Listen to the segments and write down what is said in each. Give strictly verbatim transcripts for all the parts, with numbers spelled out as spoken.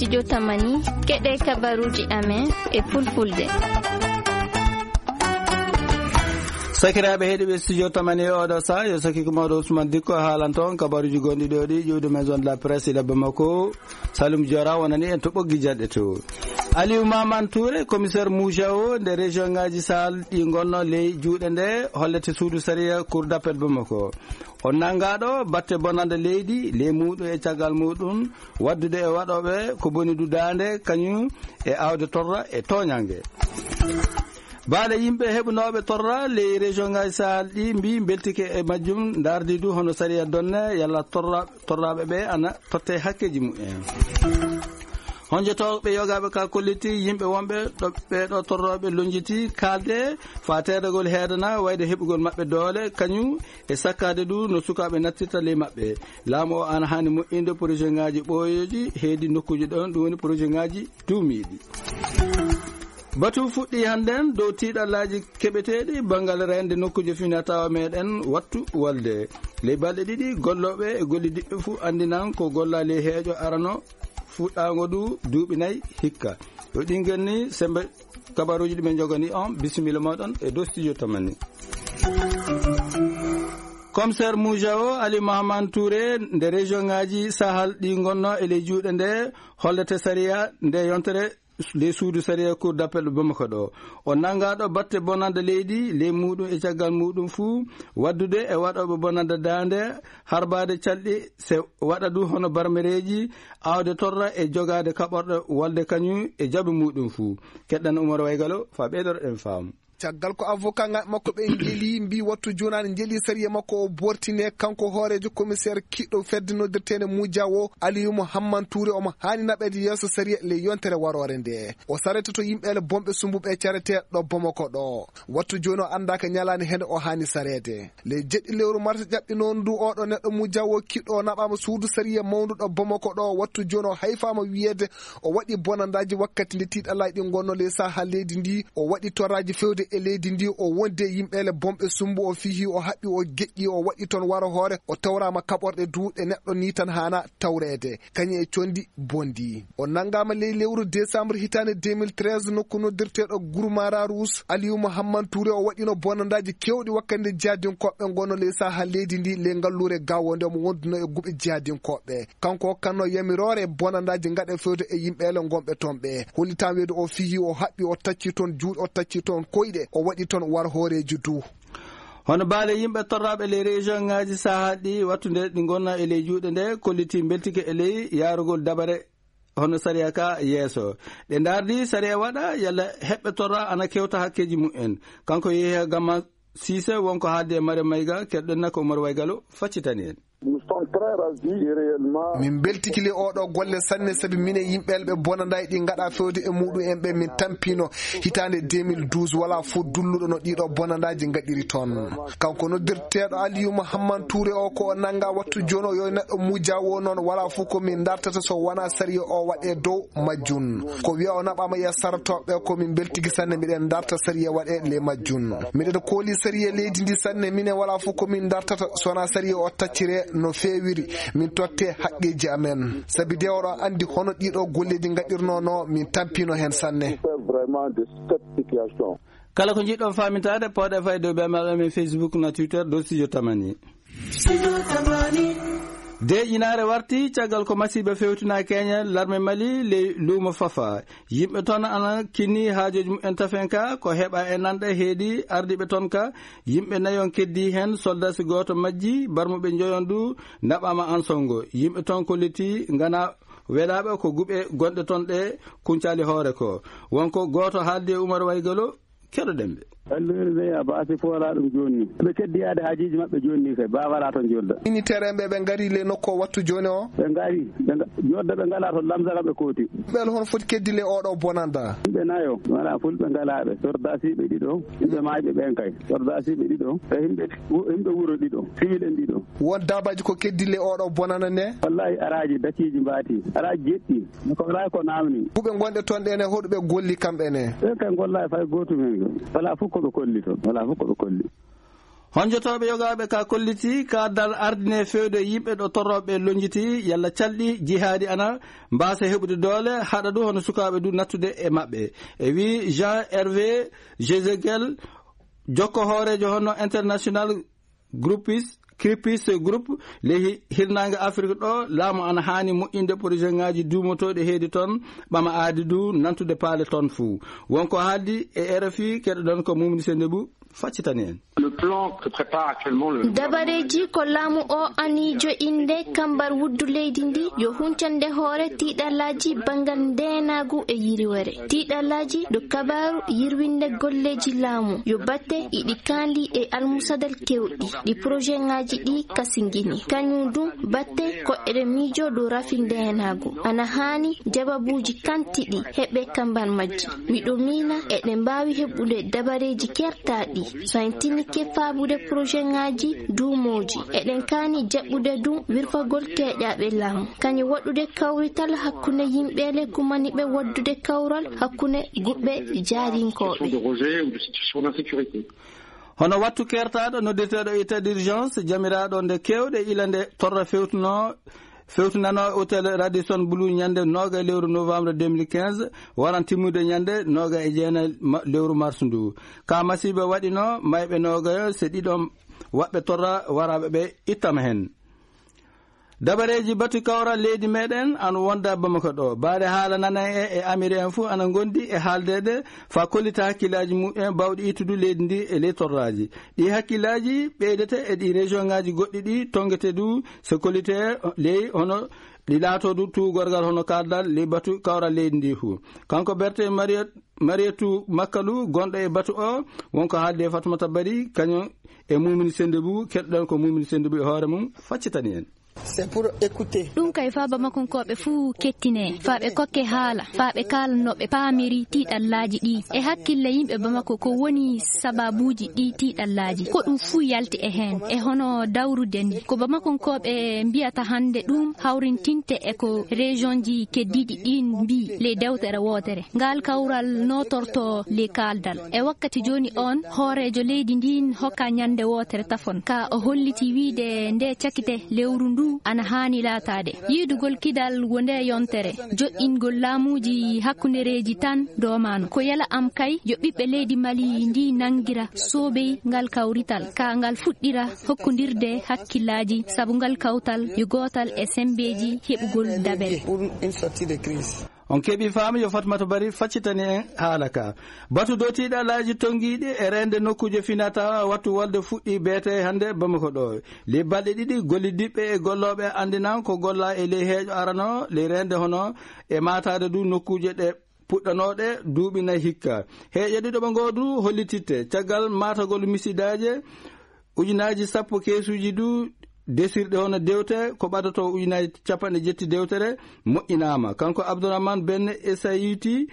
Studio Tamani, keɗe kabaruji amen e fulfulde. Sakiraaɓe heɗiɓe Studio Tamani e oɗo sa, yo sakiko mawɗo Ousmane Dikko haalanto on kabaruji gonɗi ɗo ɗi ƴiwde Maison de la Presse ila Bamako. Salum Diora wonani en to ɓoggi jaɗɗe to. Aliou Mamane Touré, commissaire Moussa o nde région ngaji Sahel ɗi gonno ley juuɗe nde hollete suudu sariya Cour d'appel Bamako. O nanngaɗo batte bonande leydi, ley muɗum e caggal muɗum, waddude e waɗoɓe ko boni du daande, kañum e awde torra e toñange. Baale yimɓe heɓunooɓe torra ley région ngaji Sahel ɗi mbi mbeltike e majjum, ndardi du hono sariya donne yalla torra-, torraɓe ɓe ana totte hakkeji mumen. Honjotooɓe yogaaɓe ka kolliti yimɓe wonɓe ɗo ɓeeɗo torrooɓe lonjiti kaalde faa teedagol heedana wayde heɓugol maɓɓe doole, kañum e sakkaade du no sukaaɓe nattirta ley maɓɓe. Laamu o ana haani moƴƴinde projet ngaji ɓooyooji heedi nokkuuji ɗon, ɗum woni projet ngaji duumiiɗi. Batu fuɗɗi hannden dow tiiɗallaaji keɓeteeɗi banngal reende nokkuuje finatawa meɗen wattu walde. Ley balɗe ɗiɗi, gollooɓe e gollidiɓɓe fuu anndinan ko gollaa ley heeƴo arano fuɗɗaango du duuɓi nayi hikka. Yo ɗin genni sembe kabaruuji ɗi min njogani on, bisimilla mooɗon e dow studio Tamani. Commissaire Moussa o, Ali Mahaman Touré, nde région ngaji Sahel ɗi ngonno e ley juuɗe nde, hollete sariya nde yontere ley suudu sariya Cour d'appel Bamako ɗo. O nanngaɗo batte bonande leydi, ley muɗum e caggal muɗum fuu, waddude e waɗoɓe bonande daande, harbaade calɗi, se waɗa du hono barmereeji, awde torra e jogaade kaɓorɗe walde kañum e jaɓi muɗum fuu. Keɗɗan Umar Waygalo, faa ɓeydoɗen faamu. Caggal ko avocat ŋaaɓe makko ɓe njeli, mbi wattu jonaani njeli sariya makko o bortine, kanko hooreejo commissaire kiɗɗo fedde noddirteende Moussa o, Aliou Mouhammane Touré, omo haani naɓeede yeeso sariya ley yontere waroore nde. O sarete to yimɓe ele bonɓe sumbuɓe carete ɗo Bamako ɗo. Wattu jooni o anndaa ka ñalaande hende o haani sareede. Ley jeɗɗi lewru mars ƴaɓɓinoondu ndu, oɗo neɗɗo Moussa o kiɗɗo o naɓaama suudu sariya mawndu ɗo Bamako ɗo. Wattu jooni o hayfaama wiyeede o waɗi bonandaaji wakkati nde tiiɗalaaji ɗi ngonno ley saha leydi ndi. O waɗi torraaji fewde e leydi ndi, o wondi e yimɓe ele bonɓe sumbu, o fihi, o haɓɓi, o geƴƴi, o waɗi toon waro hoore, o tawraama kaɓorɗe du ɗe neɗɗo ni tan haana tawreede, kañum e conndi bonndi. O nanngaama ley lewru décembre hitaande deux mille treize nokku noddirteeɗo Gourmara Rouge. Aliou Mouhammane Touré o waɗino bonandaaji keewɗi wakkati nde jihadinkooɓe ngonno ley saha leydi ndi ley ngalluure Gao nde omo wonduno e guɓe jihadinkooɓe. Kanko hokkanno yamiroore bonandaaji ngaɗe fewde e yimɓe ele ngonɓe toon ɓe. Hollitaama wiyde o fihi, o haɓɓi, o tacci toon juuɗe, o tacci toon koyɗe, o waɗi toon war hooreeji du. Hono baale yimɓe torraaɓe ley région ŋaaji sahaa ɗi wattunde ɗi ngonna e ley juuɗe nde, kolliti mbeltike e ley yaarugol dabare hono sariya ka yeeso. Ɗe ndaardi sariya waɗa yalla heɓɓe torra ana kewta hakkeeji mumen. Kanko Yehya Gamma Siise wonko haaldi e Mariam Mayga, keɗɗen nako Umar Waygalo faccitani en. Nous sommes très ravis et réellement. Min mbeltiki le oɗo golle sanne, sabi minen yimɓe elɓe bonanday ɗi ngaɗa fewde e muɗum en ɓe min tampino hitaande deux mille douze, wala fof dulluɗo no ɗiɗo bonandaji ngaɗiri toon. Kanko noddirteeɗo Aliou Mouhammane Touré o ko o nanga wattu jooni o yo neɗɗo muja wo noon, wala fof ko min dartata so wona sariya o waɗe dow majjum. Ko wiya o naɓama e sartoɓe ko min mbeltiki sanne miɗen darta sariya waɗe le majjum. Miɗen kooli sariya leydi ndi sanne, minen wala fof ko min dartata so wona sariya o taccire no feewiri, min totte haqqeji amen. Sabi de oɗo andi hono ɗiɗo golleji ngaɗirno no, min tampino hen sanne. Vraiment de cette situation. Kala ko njiɗɗon faamitaade, pooɗe fay dow ɓe maɓɓe men Facebook na Twitter dow Studio Tamani. Deeƴinaare warti caggal ko masiiɓe fewtina Kenya, larme Mali ley luumo Fafa. Yimɓe toon ana kinni haajooji mumen tafen ka, ko heɓa e nanɗe heedi ardiiɓe toon ka. Yimɓe nayon keddi heen, soldasi gooto majji, barmuɓe njoyon du naɓaama an songo. Yimɓe toon kolliti ngana welaaɓe ko guɓe gonɗe toon ɗe kuncali hoore ko. Wonko gooto haaldi e Umar Waygalo, keɗoɗen ɓe. Allumeeri ɓe ya baasi foolaa ɗum jooni ni. Ɓe keddi yaade haajiiji maɓɓe jooni ni kay, baa walaa toon jolda. Ini tereemɓe ɓe ngari le nokko wattu jooni o. Ɓe ngari, ɓe nga-, jodda ɓe ngalaa toon lamsara ɓe kooti. Ɓe hono foti keddi le oɗo bonanda. Yimɓe nayo, wala fulɓe ngalaa ɓe. Sordaasiiɓe ɗiɗo, yimɓe maayɓe ɓen kay. Sordaasiiɓe ɗiɗo, e yimɓe, yimɓe wuro ɗiɗo, siwil en ɗiɗo. Won daabaaji ko keddi le oɗo bonana ne? Wallahi araaji dakiiji mbaati, araaji jeɗɗi. Ko wala ko namni. Kuɓe gonɗe toon ɗen e hoɗuɓe golli kamɓe ne? Ɓe kay golla e fay gootum hen. Wala fof ko ɓe kolli toon. Wala fof ko ɓe kolli. Honjotooɓe yogaaɓe ka kolliti ka dal ardine fewde yimɓe ɗo torrooɓe lonjiti yalla calɗi jihaadi ana mbaasa heɓude doole, haɗa ɗum hono sukaaɓe du nattude e maɓɓe. E wi Jean Hervé Jezegel, jokko hooreejo hono international groupis, Cripis Group, ley hi-, hirnaange Afrik ɗo, laamu ana haani moƴƴinde projet ŋaaji duumotooɗi heedi toon, ɓama aadi du nantude paale toon fuu. Wonko haaldi e R F I, keɗoɗon ko Mumni Sendebu, faccitani en. Le plan que prépare actuellement le Dabareeji ko laamu o anii jo'inde kambar wuddu leydi ndi yo huncande hoore tiiɗallaaji banngal ndeenaagu e yiriwere. Tiiɗallaaji ɗo kabaaru yirwinde golleeji laamu yo batte iɗi kaandi e almusadal kewɗi ɗi projet ŋaaji ɗi kasingini. Kañum du batte ko eɗen miijo dow rafi ndeenaagu. Ana haani jababuuji kantiɗi heɓe kambar majji. Miɗo miina eɗen mbaawi heɓude dabareeji kertaaɗi so en tinike faabude projet ŋaaji duumooji. Eɗen kaani jaɓɓude du wirfagol teeƴaaɓe laamu. Kañum waɗude kawrital hakkunde yimɓe le kumaniɓe waddude kawral hakkunde guɓɓe jaarinkooɓe. De rejet ou de situation d'insécurité. Hono wattu kertaaɗo noddirteeɗo état d'urgence, jamiraaɗo nde keewɗe ila nde torra fewtuno, fewtunano hôtel Radisson Blu ñande nooga lewru novembre deux mille quinze, waran timmude ñande nooga e jeenayi ma-, lewru mars ndu. Ka masiiba waɗino mayɓe nooga se ɗiɗo waɓɓe torra waraɓe ɓe ittama hen. Dabareeji batu kawral leydi meɗen ana wonda Bamako ɗo. Baade haala nana e, e Amiri en fuu ana ngondi e haaldeede fa kollita hakkillaaji mumen bawɗi ittudu leydi ndi e ley torraaji. Ɗi hakkillaaji ɓeydete e ɗi région ŋaaji goɗɗi ɗi tongete du se kollite ley hono ɗi laatodu tuugorgal hono kaaldal ley batu kawral leydi ndi fuu. Kanko Berthe Mariette, Marietou Makalu gonɗo e batu o wonko haalde e Fatoumata Bari kañum e Mumini Sendebu, keɗɗon ko Mumini Sendebu e hoore mum faccitani en. C'est pour écouter. Ɗum kay fa Bamakonkooɓe fuu kettine, fa ɓe kokke haala, fa ɓe kaala no ɓe paamiri tiiɗallaaji ɗi. E hakkille yimɓe Bamako ko woni sababuuji ɗi tiiɗallaaji. Ko ɗum fuu yalti e heen. E hono dawrude ni. Ko Bamakonkooɓe mbiyata hannde ɗum hawrintinte e ko région ji keddiiɗi ɗin mbii ley dewtere wootere. Ngal kawral nootorto ley kaaldal. E wakkati jooni on, hooreejo leydi ndin hokka ñande wootere tafon. Ka o holliti wiide nde cakite lewru ndu ana haani laataade. Yiidugol kidal wo nde yontere. Joɗɗingol laamuuji hakkundereeji tan doomano. Ko yala am kay yo ɓiɓɓe leydi Mali ndi nangira soobey ngal kawrital. Ka ngal fuɗɗira hokkondirde hakkillaaji sabu ngal kawtal yo gootal e sembeeji heɓugol dabere. Pour une sortie de crise. On keɓi faamu yo Fatmata Bari faccitani en haala ka. Batu dow tiiɗalaaji tongiiɗi e reende nokkuuje finata wattu wolde fuɗɗi beete hannde Bamako ɗo. Ley balɗe ɗiɗi gollidiɓɓe e gollooɓe anndinan ko golla e ley heeƴo arano ley reende hono e maataade du nokkuuje ɗe puɗɗanooɗe duuɓi nayi hikka. Heeƴe ɗiɗo ɓe ngoo du hollititte caggal maatagol misidaaje ujunaaji sappo keesuuji du desirɗe hono dewte ko ɓadato ujunaaji capanɗe jetti dewtere moƴƴinaama. Kanko Abdourahmane Ben Essayiti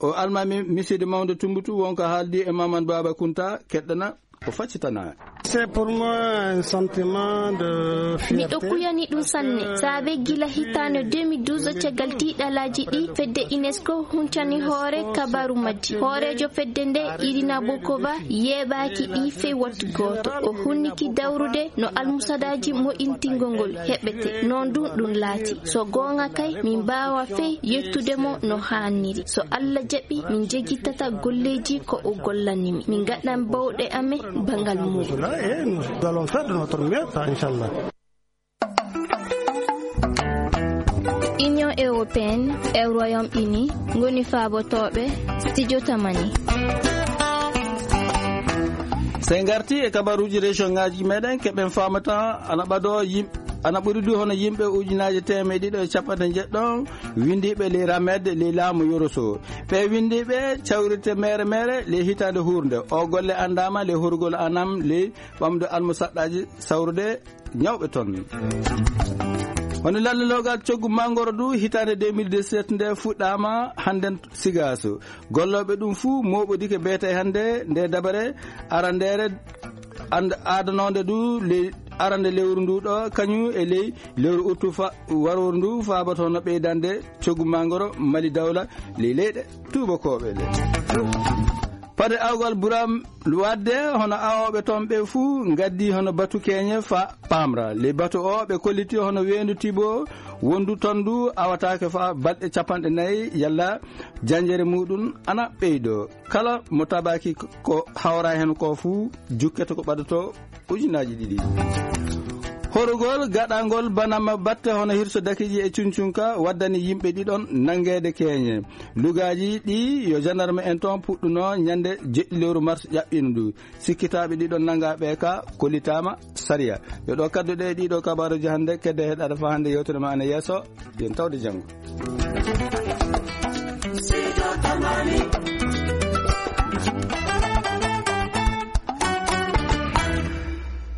o almaami miside mawnde Tumbutu wonko haaldi e Mamadou Baba Kunta keɗɗana o faccitana. C'est pour moi un sentiment de fierté. Miɗo kuyani ɗum sanne. Saabe gila hitaande deux mille douze caggal tiiɗalaaji ɗi fedde UNESCO huncani hoore kabaaru majji. Hooreejo fedde nde Irina Bokova yeeɓaaki ɗi fey wattu gooto. O hunniki dawrude no almusadaaji moƴintingol ngol heɓete. Noon ɗum ɗum laati. So goonga kay, min mbaawa fey yettude mo no haaniri. So Allah jaɓi, min njegittata golleeji ko o gollani mi. Min ngaɗan bawɗe amen bangal mum. Cela et nous allons faire de notre mieux, inchallah. Union européenne e Royaume-Uni ngoni faabotooɓe studio Tamani. So en ngarti e kabaruuji région ŋaaji meɗen, keɓen faamata ana ɓado yim-, ana ɓuri du hono yimɓe ujunaaje teemeɗe ɗiɗo e capanɗe njeɗɗo windiiɓe ley ramed ley laamu Yoroso. Ɓe windiiɓe cawrirte mere mere ley hitaande hurnde. O golle anndaama ley horugol anam ley ɓamde almusaɗɗaaji sawrude ñawɓe toon. Woni lalleloogal coggu mangoro du hitaande deux mille dix-sept nde fuɗɗaama hannden Sigaaso. Gollooɓe ɗum fuu mooɓodike beete hannde nde dabare arandeere and-, aadanoonde du ley arande lewru ndu ɗo, kañum e ley lewru uttu fa-, warooru ndu faabato no ɓeydande coggu mangoro Mali Dawla ley leyɗe tuubakooɓe ɗe. Ode awgal buram wadde hono awooɓe toon ɓe fuu ngaddi hono batu keñe fa pamra. Ley batu o ɓe kolliti hono weendu tibo wondu toon ndu awataake fa balɗe capanɗe nayi yalla janjere muɗum ana ɓeydo. Kala mo tabaki ko hawra heen ko fuu jukkete ko ɓadoto ujunaaji ɗiɗi. Horugol gaɗangol banama batte hono hirso dakiji e cuncunka waddani yimɓe ɗiɗon nangeede keñe. Lugaaji ɗi yo gendarme en toon puɗɗuno ñande jeɗɗi lewru mars ƴaɓɓino ndu. Sikkitaaɓe ɗiɗon nanga ɓe ka kollitaama sariya. Yo ɗo kadduɗe ɗiɗo kabaruji hannde kedde heɗaɗo fa hannde yewtere ma ana yeeso. Yen tawde janngo.